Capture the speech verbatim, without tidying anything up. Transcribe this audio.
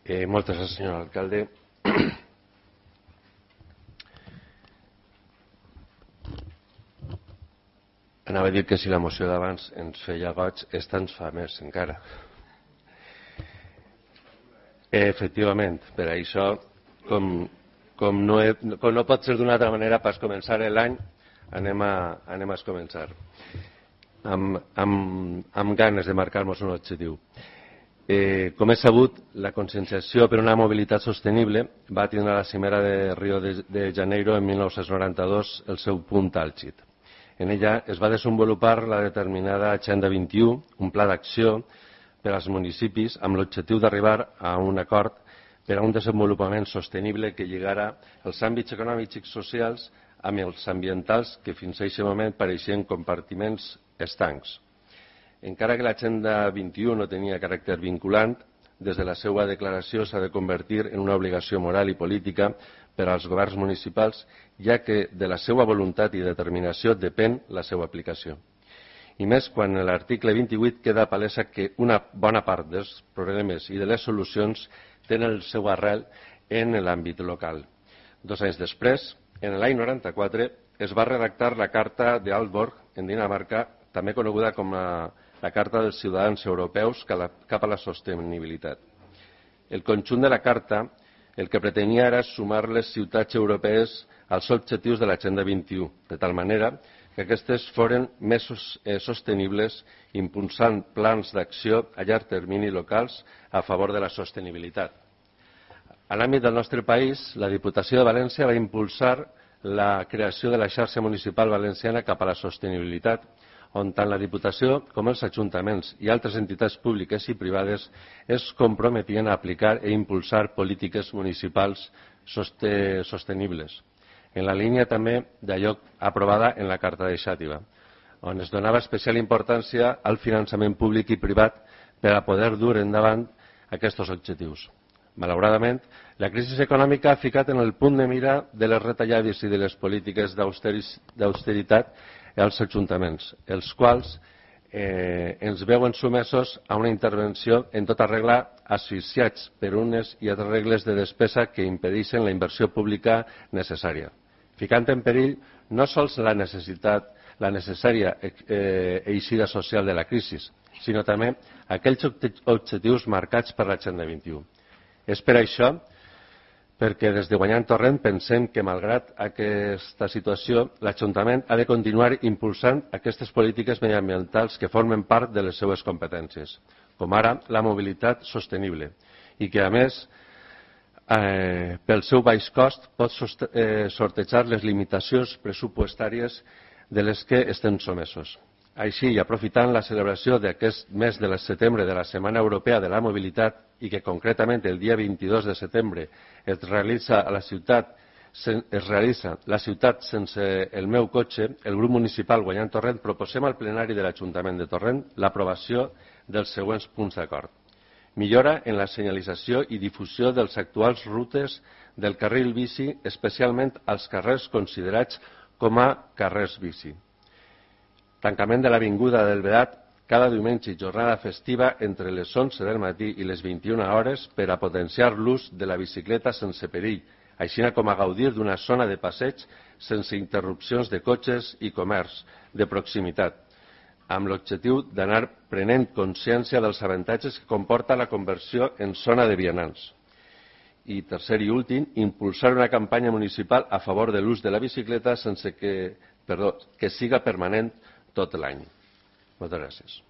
Eh, moltes gràcies, senyor alcalde. Anava a dir que si la moció d'abans ens feia goig, esta ens fa més encara. Eh, efectivament, per això, com, com, no, he, com no pot ser d'una altra manera, per començar l'any, anem a, anem a començar amb, amb, amb ganes de marcar-nos un objectiu. Eh, com és sabut, la conscienciació per una mobilitat sostenible va tindre a la cimera de Rio de, de Janeiro en mil nou-cents noranta-dos el seu punt àlgid. En ella es va desenvolupar la determinada Agenda vint-i-u, un pla d'acció per als municipis amb l'objectiu d'arribar a un acord per a un desenvolupament sostenible que lligara els àmbits econòmics i socials amb els ambientals que fins a aquest moment pareixien compartiments estancs. Encara que l'Agenda vint-i-u no tenia caràcter vinculant, des de la seva declaració s'ha de convertir en una obligació moral i política per als governs municipals, ja que de la seva voluntat i determinació depèn la seva aplicació. I més quan en l'article vint-i-vuit queda palesa que una bona part dels problemes i de les solucions tenen el seu arrel en l'àmbit local. Dos anys després, en l'any noranta-quatre, es va redactar la Carta d'Aalborg en Dinamarca, també coneguda com la, la Carta dels Ciutadans Europeus cap a la Sostenibilitat. El conjunt de la Carta el que pretenia era sumar les ciutats europees als objectius de l'Agenda vint-i-u, de tal manera que aquestes foren més sostenibles, impulsant plans d'acció a llarg termini locals a favor de la sostenibilitat. A l'àmbit del nostre país, la Diputació de València va impulsar la creació de la xarxa municipal valenciana cap a la sostenibilitat, on tant la Diputació com els ajuntaments i altres entitats públiques i privades es comprometien a aplicar i impulsar polítiques municipals sostenibles, en la línia també d'allò aprovada en la Carta de Xàtiva, on es donava especial importància al finançament públic i privat per a poder dur endavant aquests objectius. Malauradament, la crisi econòmica ha ficat en el punt de mira de les retallades i de les polítiques d'austeritat als ajuntaments, els quals eh, ens veuen sumesos a una intervenció en tota regla asfixiats per unes i altres regles de despesa que impedeixen la inversió pública necessària, ficant en perill no sols la necessitat, la necessària eh, eixida social de la crisi, sinó també aquells objectius marcats per l'Agenda vint-i-u. És per això perquè des de Guanyant Torrent pensem que, malgrat aquesta situació, l'Ajuntament ha de continuar impulsant aquestes polítiques mediambientals que formen part de les seues competències, com ara la mobilitat sostenible, i que, a més, eh, pel seu baix cost, pot eh, sortejar les limitacions pressupostàries de les que estem somesos. Així, i aprofitant la celebració d'aquest mes de setembre de la Setmana Europea de la Mobilitat i que concretament el dia vint-i-dos de setembre es realitza a la ciutat es realitza la ciutat sense el meu cotxe, el grup municipal Guanyant Torrent proposem al plenari de l'Ajuntament de Torrent l'aprovació dels següents punts d'acord. Millora en la senyalització i difusió dels actuals rutes del carril bici, especialment als carrers considerats com a carrers bici. Tancament de l'Avinguda del Beat cada diumenge i jornada festiva entre les onze del matí i les vint-i-una hores per a potenciar l'ús de la bicicleta sense perill, així com a gaudir d'una zona de passeig sense interrupcions de cotxes i comerç de proximitat, amb l'objectiu d'anar prenent consciència dels avantatges que comporta la conversió en zona de vianants. I tercer i últim, impulsar una campanya municipal a favor de l'ús de la bicicleta sense que, perdó, que siga permanent tot l'any. Moltes gràcies.